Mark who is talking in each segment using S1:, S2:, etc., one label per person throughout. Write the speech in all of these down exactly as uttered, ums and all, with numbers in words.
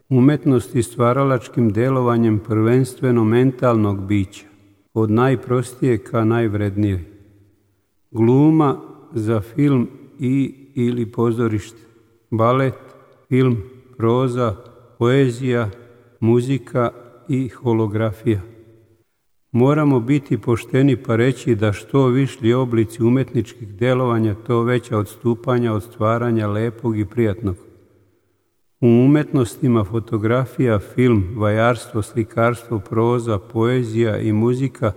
S1: Umetnost i stvaralačkim delovanjem prvenstveno mentalnog bića, od najprostije ka najvrednijoj. Gluma za film i ili pozorište, balet, film, proza, poezija, muzika i holografija. Moramo biti pošteni pa reći da što višlji oblici umetničkih delovanja, to veća odstupanja od stvaranja lepog i prijatnog. U umetnostima fotografija, film, vajarstvo, slikarstvo, proza, poezija i muzika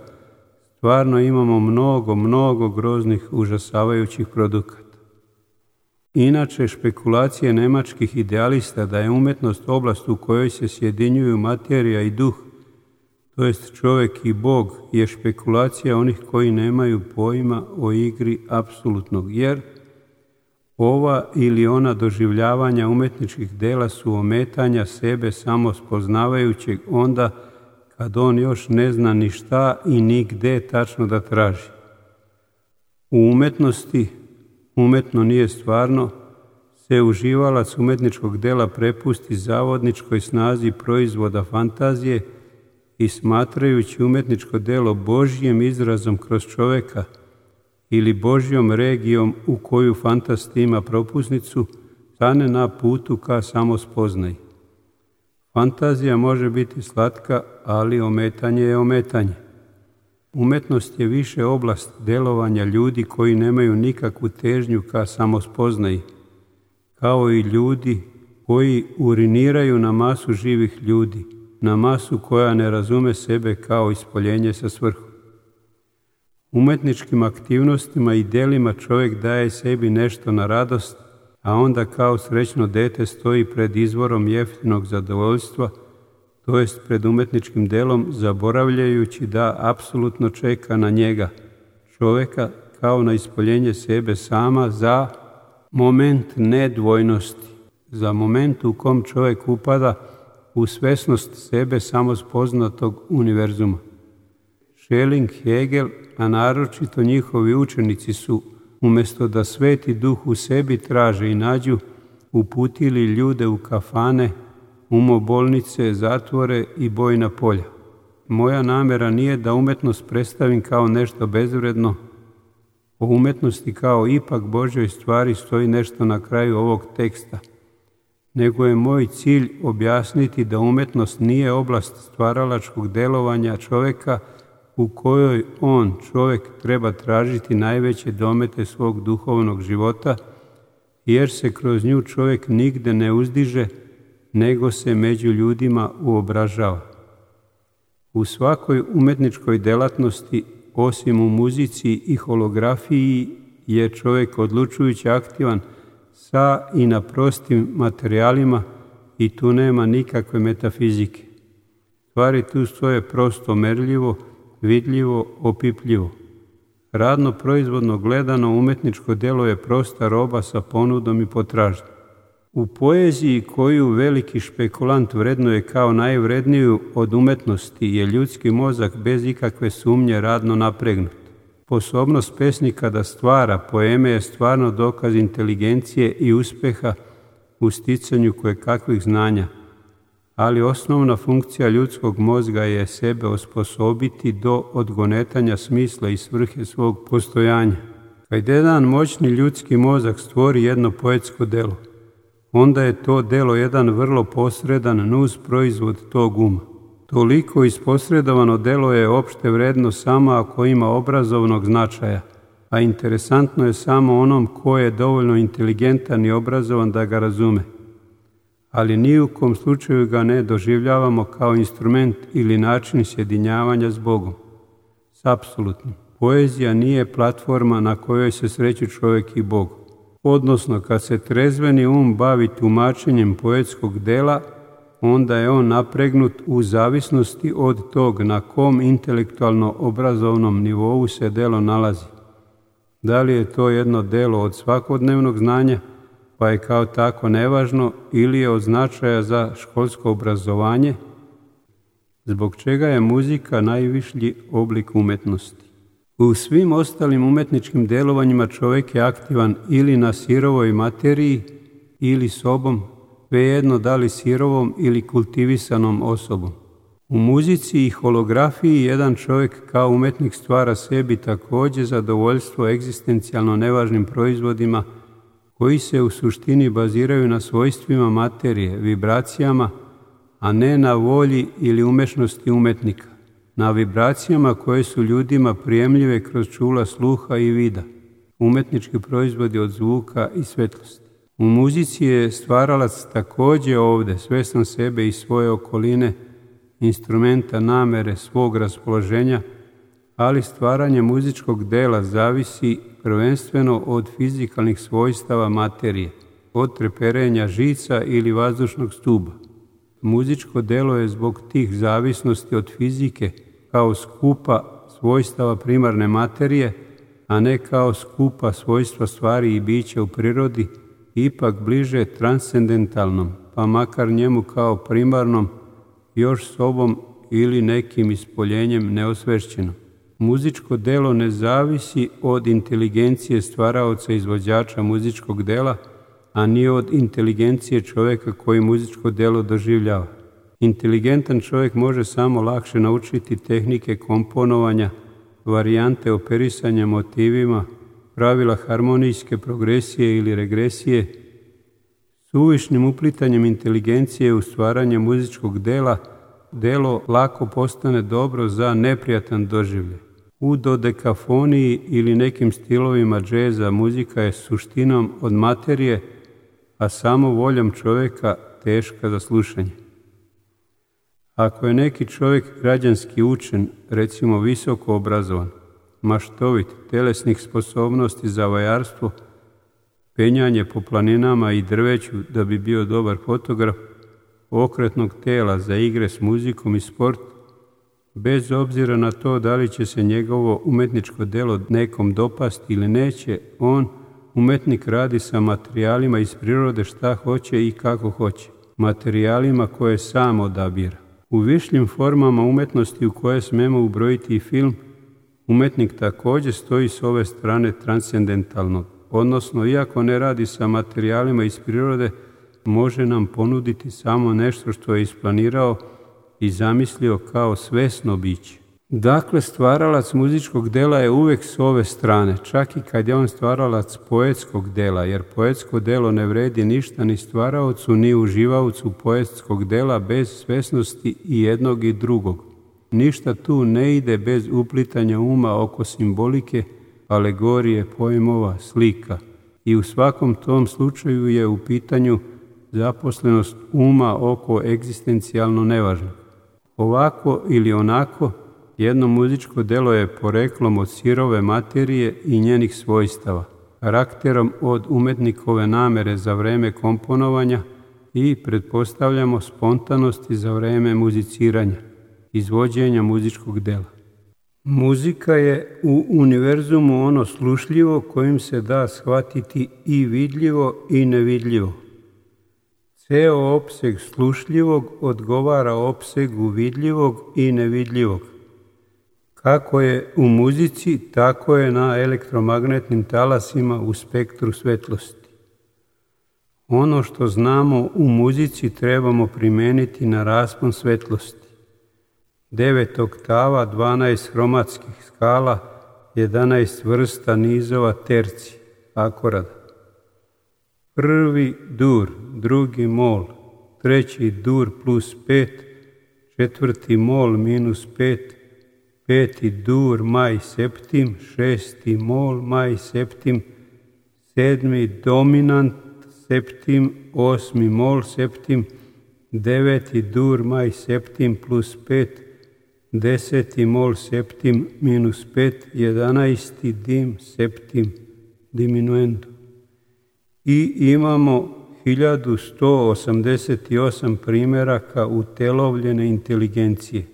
S1: stvarno imamo mnogo, mnogo groznih, užasavajućih produkata. Inače, špekulacije nemačkih idealista da je umetnost oblast u kojoj se sjedinjuju materija i duh, to jest čovjek i Bog, je špekulacija onih koji nemaju pojma o igri apsolutnog, jer ova ili ona doživljavanja umetničkih dela su ometanja sebe samo spoznavajućeg onda kad on još ne zna ni šta i ni gde tačno da traži. U umetnosti, umetno nije stvarno, se uživalac umetničkog dela prepusti zavodničkoj snazi proizvoda fantazije i smatrajući umetničko delo Božjim izrazom kroz čoveka ili Božjom regijom u koju fantast ima propusnicu, stane na putu ka samospoznaji. Fantazija može biti slatka, ali ometanje je ometanje. Umetnost je više oblast delovanja ljudi koji nemaju nikakvu težnju ka samospoznaji, kao i ljudi koji uriniraju na masu živih ljudi, na masu koja ne razume sebe kao ispoljenje sa svrhom. Umetničkim aktivnostima i delima čovjek daje sebi nešto na radost, a onda kao srećno dete stoji pred izvorom jeftinog zadovoljstva, to jest pred umetničkim delom, zaboravljajući da apsolutno čeka na njega, čovjeka, kao na ispoljenje sebe sama za moment nedvojnosti, za moment u kom čovjek upada u svesnost sebe samospoznatog univerzuma. Schelling, Hegel, a naročito njihovi učenici su, umjesto da sveti duh u sebi traže i nađu, uputili ljude u kafane, umobolnice, zatvore i bojna polja. Moja namjera nije da umetnost predstavim kao nešto bezvredno. O umetnosti kao ipak Božjoj stvari stoji nešto na kraju ovog teksta, nego je moj cilj objasniti da umetnost nije oblast stvaralačkog delovanja čovjeka u kojoj on, čovjek, treba tražiti najveće domete svog duhovnog života, jer se kroz nju čovjek nigde ne uzdiže, nego se među ljudima uobražava. U svakoj umetničkoj delatnosti, osim u muzici i holografiji, je čovjek odlučujući aktivan sa i na prostim materijalima i tu nema nikakve metafizike. Stvari tu stoje prosto merljivo, vidljivo, opipljivo. Radno proizvodno gledano umetničko delo je prosta roba sa ponudom i potražnjom. U poeziji koju veliki špekulant vrednuje kao najvredniju od umetnosti je ljudski mozak bez ikakve sumnje radno napregnut. Sposobnost pesnika da stvara poeme je stvarno dokaz inteligencije i uspeha u sticanju kojekakvih znanja, ali osnovna funkcija ljudskog mozga je sebe osposobiti do odgonetanja smisla i svrhe svog postojanja. Kad jedan moćni ljudski mozak stvori jedno poetsko delo, onda je to delo jedan vrlo posredan nus proizvod tog uma. Toliko isposredovano delo je opšte vredno samo ako ima obrazovnog značaja, a interesantno je samo onom ko je dovoljno inteligentan i obrazovan da ga razume. Ali ni u kom slučaju ga ne doživljavamo kao instrument ili način sjedinjavanja s Bogom, s apsolutnim. Poezija nije platforma na kojoj se sreću čovjek i Bog. Odnosno, kad se trezveni um bavi tumačenjem poetskog dela, onda je on napregnut u zavisnosti od tog na kom intelektualno obrazovnom nivou se delo nalazi. Da li je to jedno delo od svakodnevnog znanja, pa je kao tako nevažno, ili je od značaja za školsko obrazovanje, zbog čega je muzika najvišlji oblik umetnosti. U svim ostalim umetničkim delovanjima čovjek je aktivan ili na sirovoj materiji, ili sobom, svejedno da li sirovom ili kultivisanom osobom. U muzici i holografiji jedan čovjek kao umetnik stvara sebi također zadovoljstvo egzistencijalno nevažnim proizvodima koji se u suštini baziraju na svojstvima materije, vibracijama, a ne na volji ili umešnosti umetnika, na vibracijama koje su ljudima prijemljive kroz čula sluha i vida, umetnički proizvodi od zvuka i svetlosti. U muzici je stvaralac također ovdje svjestan sebe i svoje okoline, instrumenta, namere, svog raspoloženja, ali stvaranje muzičkog dela zavisi prvenstveno od fizikalnih svojstava materije, od treperenja žica ili vazdušnog stuba. Muzičko delo je zbog tih zavisnosti od fizike kao skupa svojstava primarne materije, a ne kao skupa svojstva stvari i bića u prirodi, ipak bliže transcendentalnom, pa makar njemu kao primarnom, još sobom ili nekim ispoljenjem neosvešćenom. Muzičko delo ne zavisi od inteligencije stvaraoca izvođača muzičkog dela, a ni od inteligencije čovjeka koji muzičko delo doživljava. Inteligentan čovjek može samo lakše naučiti tehnike komponovanja, varijante operisanja motivima, pravila harmonijske progresije ili regresije. Suvišnim uplitanjem inteligencije u stvaranje muzičkog dela, delo lako postane dobro za neprijatan doživljaj. U dodekafoniji ili nekim stilovima džeza muzika je suštinom od materije, a samo voljom čovjeka teška za slušanje. Ako je neki čovjek građanski učen, recimo visoko obrazovan, maštovit, telesnih sposobnosti za vajarstvo, penjanje po planinama i drveću da bi bio dobar fotograf, okretnog tela za igre s muzikom i sport, bez obzira na to da li će se njegovo umetničko delo nekom dopasti ili neće, on, umetnik, radi sa materijalima iz prirode šta hoće i kako hoće, materijalima koje sam odabira. U višljim formama umetnosti u koje smemo ubrojiti i film, umetnik također stoji s ove strane transcendentalnog, odnosno iako ne radi sa materijalima iz prirode, može nam ponuditi samo nešto što je isplanirao i zamislio kao svesno biće. Dakle, stvaralac muzičkog dela je uvijek s ove strane, čak i kad je on stvaralac poetskog dela, jer poetsko delo ne vredi ništa ni stvaraocu ni uživaocu poetskog dela bez svesnosti i jednog i drugog. Ništa tu ne ide bez uplitanja uma oko simbolike, alegorije, pojmova, slika. I u svakom tom slučaju je u pitanju zaposlenost uma oko egzistencijalno nevažnog. Ovako ili onako, jedno muzičko delo je poreklom od sirove materije i njenih svojstava, karakterom od umetnikove namere za vreme komponovanja i, pretpostavljamo, spontanosti za vreme muziciranja, izvođenja muzičkog dela. Muzika je u univerzumu ono slušljivo kojim se da shvatiti i vidljivo i nevidljivo. Ceo opseg slušljivog odgovara opsegu vidljivog i nevidljivog. Kako je u muzici, tako je na elektromagnetnim talasima u spektru svetlosti. Ono što znamo u muzici trebamo primeniti na raspon svetlosti. Devet oktava, dvanaest hromatskih skala, jedanaest vrsta nizova terci, akorada. Prvi dur, drugi mol, treći dur plus pet, četvrti mol minus pet, peti dur maj septim, šesti mol maj septim, sedmi dominant septim, osmi mol septim, deveti dur maj septim plus pet, deseti mol septim minus pet, jedanaesti dim septim diminuendo. I imamo hiljadu sto osamdeset osam primjeraka utelovljene inteligencije.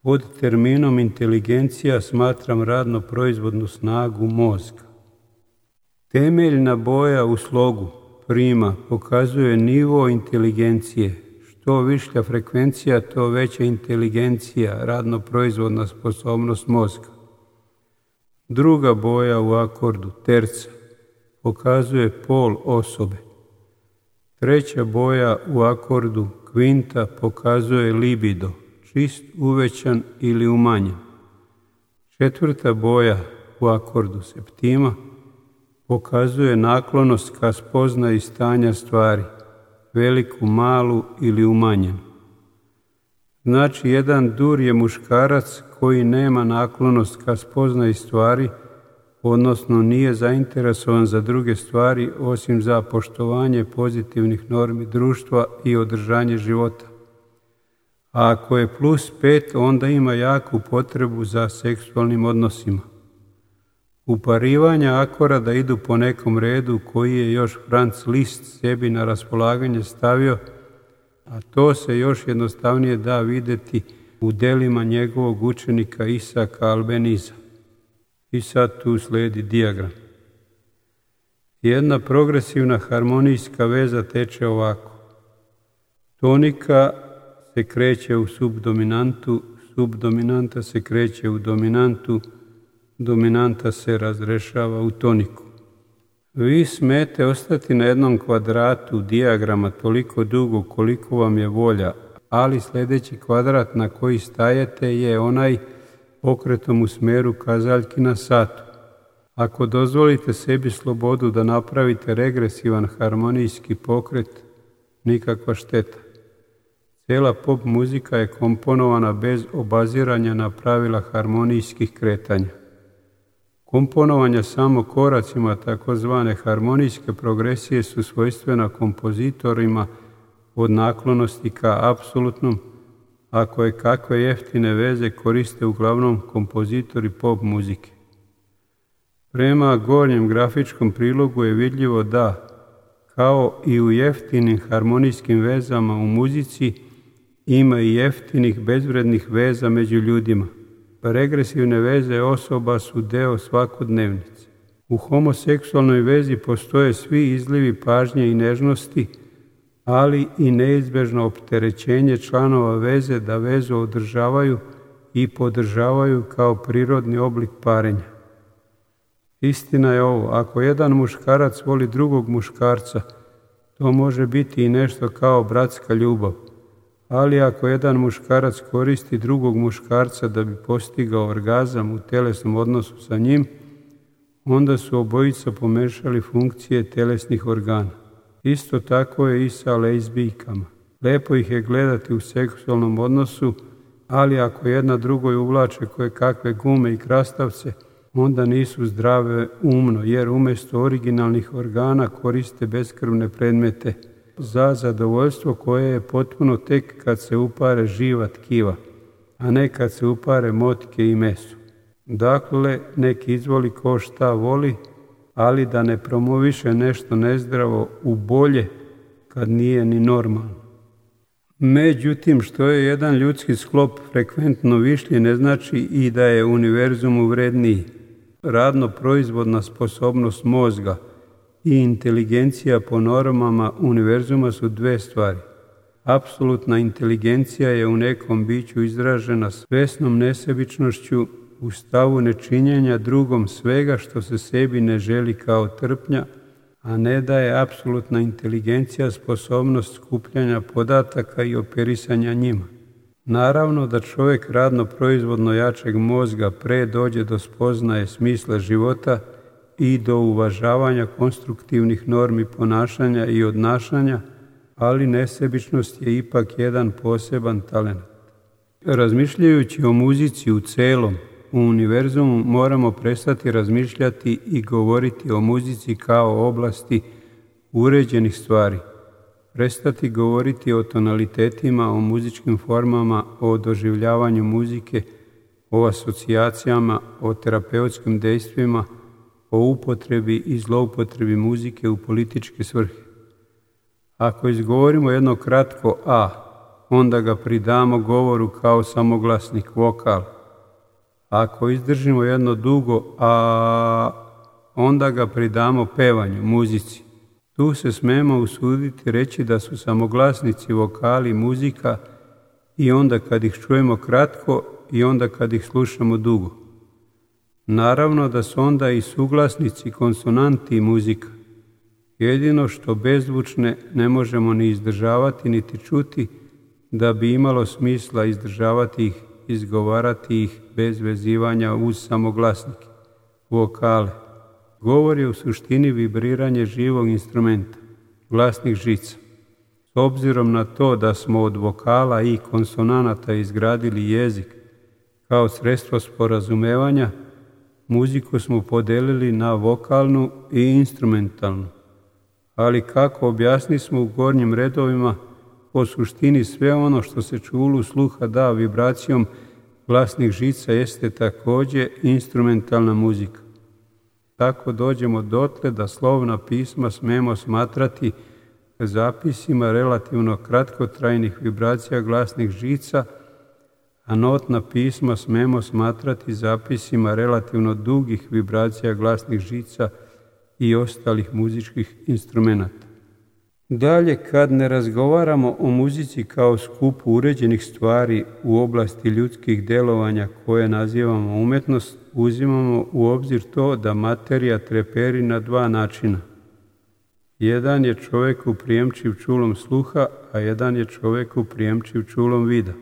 S1: Pod terminom inteligencija smatram radno proizvodnu snagu mozga. Temeljna boja u slogu prima pokazuje nivo inteligencije. Što višlja frekvencija, to veća inteligencija, radno proizvodna sposobnost mozga. Druga boja u akordu terca pokazuje pol osobe. Treća boja u akordu kvinta pokazuje libido, čist, uvećan ili umanjen. Četvrta boja u akordu septima pokazuje naklonost ka spoznaji stanja stvari, veliku, malu ili umanjenu. Znači, jedan dur je muškarac koji nema naklonost ka spoznaji stvari, odnosno nije zainteresovan za druge stvari osim za poštovanje pozitivnih normi društva i održanje života. A ako je plus pet, onda ima jaku potrebu za seksualnim odnosima. Uparivanja akorada idu po nekom redu koji je još Franz Liszt sebi na raspolaganje stavio, a to se još jednostavnije da vidjeti u delima njegovog učenika Isaka Albeniza. I sad tu slijedi dijagram. Jedna progresivna harmonijska veza teče ovako. Tonika se kreće u subdominantu, subdominanta se kreće u dominantu, dominanta se razrešava u toniku. Vi smete ostati na jednom kvadratu dijagrama toliko dugo koliko vam je volja, ali sljedeći kvadrat na koji stajete je onaj pokretom u smjeru kazaljki na satu. Ako dozvolite sebi slobodu da napravite regresivan harmonijski pokret, nikakva šteta. Cijela pop muzika je komponovana bez obaziranja na pravila harmonijskih kretanja. Komponovanja samo koracima takozvane harmonijske progresije su svojstvena kompozitorima od naklonosti ka apsolutnom, a koje kakve jeftine veze koriste uglavnom kompozitori pop muzike. Prema gornjem grafičkom prilogu je vidljivo da, kao i u jeftinim harmonijskim vezama u muzici, ima i jeftinih bezvrednih veza među ljudima. Regresivne veze osoba su deo svakodnevnice. U homoseksualnoj vezi postoje svi izlivi pažnje i nežnosti, ali i neizbežno opterećenje članova veze da vezu održavaju i podržavaju kao prirodni oblik parenja. Istina je ovo, ako jedan muškarac voli drugog muškarca, to može biti i nešto kao bratska ljubav. Ali ako jedan muškarac koristi drugog muškarca da bi postigao orgazam u telesnom odnosu sa njim, onda su obojica pomešali funkcije telesnih organa. Isto tako je i sa lezbijkama. Lepo ih je gledati u seksualnom odnosu, ali ako jedna drugoj uvlače koje kakve gume i krastavce, onda nisu zdrave umno, jer umjesto originalnih organa koriste beskrvne predmete za zadovoljstvo koje je potpuno tek kad se upare živa tkiva, a ne kad se upare motike i meso. Dakle, nek izvoli ko šta voli, ali da ne promoviše nešto nezdravo u bolje kad nije ni normalno. Međutim, što je jedan ljudski sklop frekventno višlji, ne znači i da je univerzumu vredniji. Radno-proizvodna sposobnost mozga i inteligencija po normama univerzuma su dve stvari. Apsolutna inteligencija je u nekom biću izražena svesnom nesebičnošću u stavu nečinjenja drugom svega što se sebi ne želi kao trpnja, a ne da je apsolutna inteligencija sposobnost skupljanja podataka i operisanja njima. Naravno da čovjek radno-proizvodno jačeg mozga pre dođe do spoznaje smisla života i do uvažavanja konstruktivnih normi ponašanja i odnašanja, ali nesebičnost je ipak jedan poseban talent. Razmišljajući o muzici u celom, u univerzumu moramo prestati razmišljati i govoriti o muzici kao oblasti uređenih stvari. Prestati govoriti o tonalitetima, o muzičkim formama, o doživljavanju muzike, o asocijacijama, o terapeutskim dejstvima, o upotrebi i zloupotrebi muzike u političke svrhe. Ako izgovorimo jedno kratko a, onda ga pridamo govoru kao samoglasnik, vokal. Ako izdržimo jedno dugo a, onda ga pridamo pevanju, muzici. Tu se smemo usuditi reći da su samoglasnici, vokali, muzika i onda kad ih čujemo kratko i onda kad ih slušamo dugo. Naravno da su onda i suglasnici, konsonanti i muzika. Jedino što bezvučne ne možemo ni izdržavati niti čuti, da bi imalo smisla izdržavati ih, izgovarati ih bez vezivanja uz samoglasnike, vokale. Govor je u suštini vibriranje živog instrumenta, glasnih žica. S obzirom na to da smo od vokala i konsonanata izgradili jezik kao sredstvo sporazumevanja, muziku smo podelili na vokalnu i instrumentalnu. Ali kako objasni smo u gornjim redovima, po suštini sve ono što se čulu sluha da vibracijom glasnih žica jeste također instrumentalna muzika. Tako dođemo dotle da slovna pisma smemo smatrati zapisima relativno kratkotrajnih vibracija glasnih žica, a notna pisma smemo smatrati zapisima relativno dugih vibracija glasnih žica i ostalih muzičkih instrumenata. Dalje, kad ne razgovaramo o muzici kao skupu uređenih stvari u oblasti ljudskih djelovanja koje nazivamo umjetnost, uzimamo u obzir to da materija treperi na dva načina. Jedan je čovjeku prijemčiv čulom sluha, a jedan je čovjeku prijemčiv čulom vida.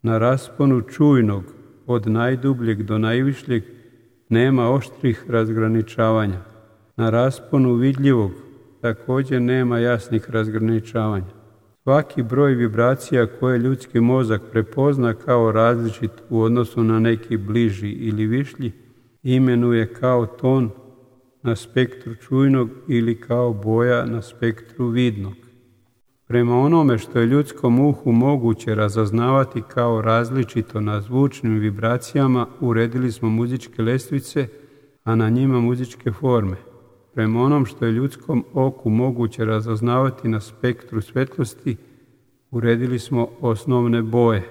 S1: Na rasponu čujnog, od najdubljeg do najvišljeg, nema oštrih razgraničavanja. Na rasponu vidljivog također nema jasnih razgraničavanja. Svaki broj vibracija koje ljudski mozak prepozna kao različit u odnosu na neki bliži ili višlji, imenuje kao ton na spektru čujnog ili kao boja na spektru vidnog. Prema onome što je ljudskom uhu moguće razaznavati kao različito na zvučnim vibracijama, uredili smo muzičke lestvice, a na njima muzičke forme. Prema onom što je ljudskom oku moguće razaznavati na spektru svjetlosti, uredili smo osnovne boje.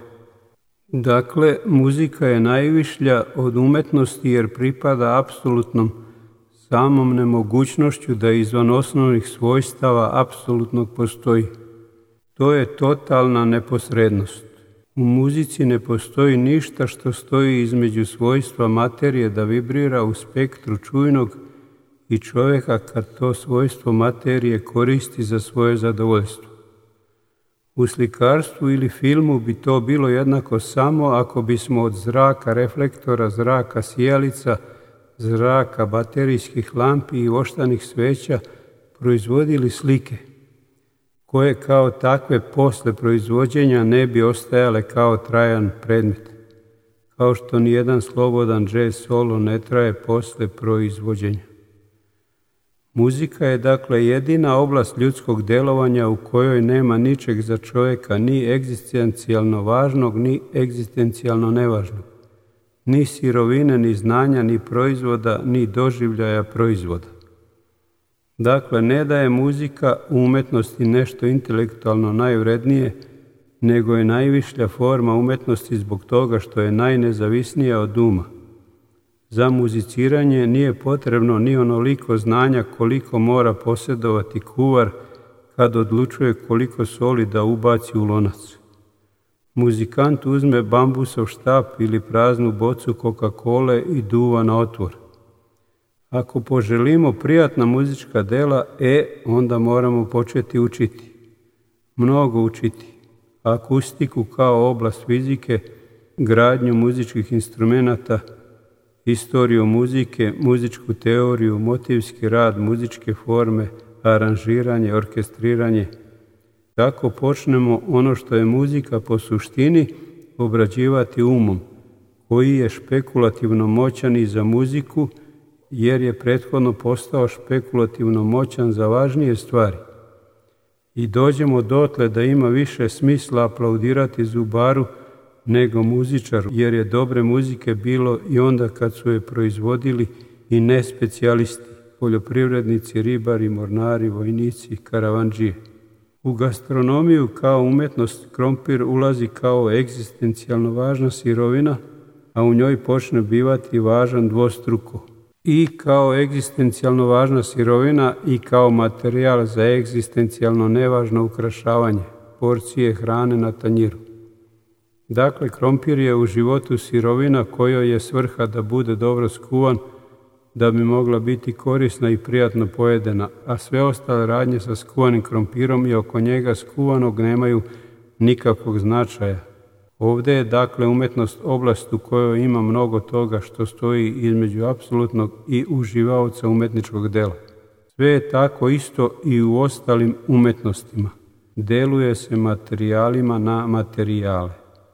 S1: Dakle, muzika je najvišlja od umetnosti jer pripada apsolutnom samom nemogućnošću da izvan osnovnih svojstava apsolutnog postoji. To je totalna neposrednost. U muzici ne postoji ništa što stoji između svojstva materije da vibrira u spektru čujnog i čovjeka kad to svojstvo materije koristi za svoje zadovoljstvo. U slikarstvu ili filmu bi to bilo jednako samo ako bismo od zraka reflektora, zraka sijalica, zraka baterijskih lampi i voštanih sveća proizvodili slike, koje kao takve posle proizvođenja ne bi ostajale kao trajan predmet, kao što nijedan slobodan jazz solo ne traje posle proizvođenja. Muzika je dakle jedina oblast ljudskog djelovanja u kojoj nema ničeg za čovjeka, ni egzistencijalno važnog, ni egzistencijalno nevažnog, ni sirovine, ni znanja, ni proizvoda, ni doživljaja proizvoda. Dakle, ne da je muzika u umjetnosti nešto intelektualno najvrednije, nego je najvišlja forma umjetnosti zbog toga što je najnezavisnija od uma. Za muziciranje nije potrebno ni onoliko znanja koliko mora posjedovati kuvar kad odlučuje koliko soli da ubaci u lonac. Muzikant uzme bambusov štap ili praznu bocu Coca-Cole i duva na otvor. Ako poželimo prijatna muzička dela, e, onda moramo početi učiti. Mnogo učiti. Akustiku kao oblast fizike, gradnju muzičkih instrumenata, istoriju muzike, muzičku teoriju, motivski rad, muzičke forme, aranžiranje, orkestriranje. Tako počnemo ono što je muzika po suštini obrađivati umom, koji je špekulativno moćan i za muziku, jer je prethodno postao špekulativno moćan za važnije stvari. I dođemo dotle da ima više smisla aplaudirati zubaru nego muzičaru, jer je dobre muzike bilo i onda kad su je proizvodili i ne specijalisti, poljoprivrednici, ribari, mornari, vojnici, karavandžije. U gastronomiju kao umjetnost krompir ulazi kao egzistencijalno važna sirovina, a u njoj počne bivati važan dvostruko. I kao egzistencijalno važna sirovina i kao materijal za egzistencijalno nevažno ukrašavanje, porcije hrane na tanjiru. Dakle, krompir je u životu sirovina kojoj je svrha da bude dobro skuvan, da bi mogla biti korisna i prijatno pojedena, a sve ostale radnje sa skuvanim krompirom i oko njega skuvanog nemaju nikakvog značaja. Ovdje je dakle umetnost oblast u kojoj ima mnogo toga što stoji između apsolutnog i uživaoca umetničkog dela. Sve je tako isto i u ostalim umetnostima. Deluje se materijalima na materijale.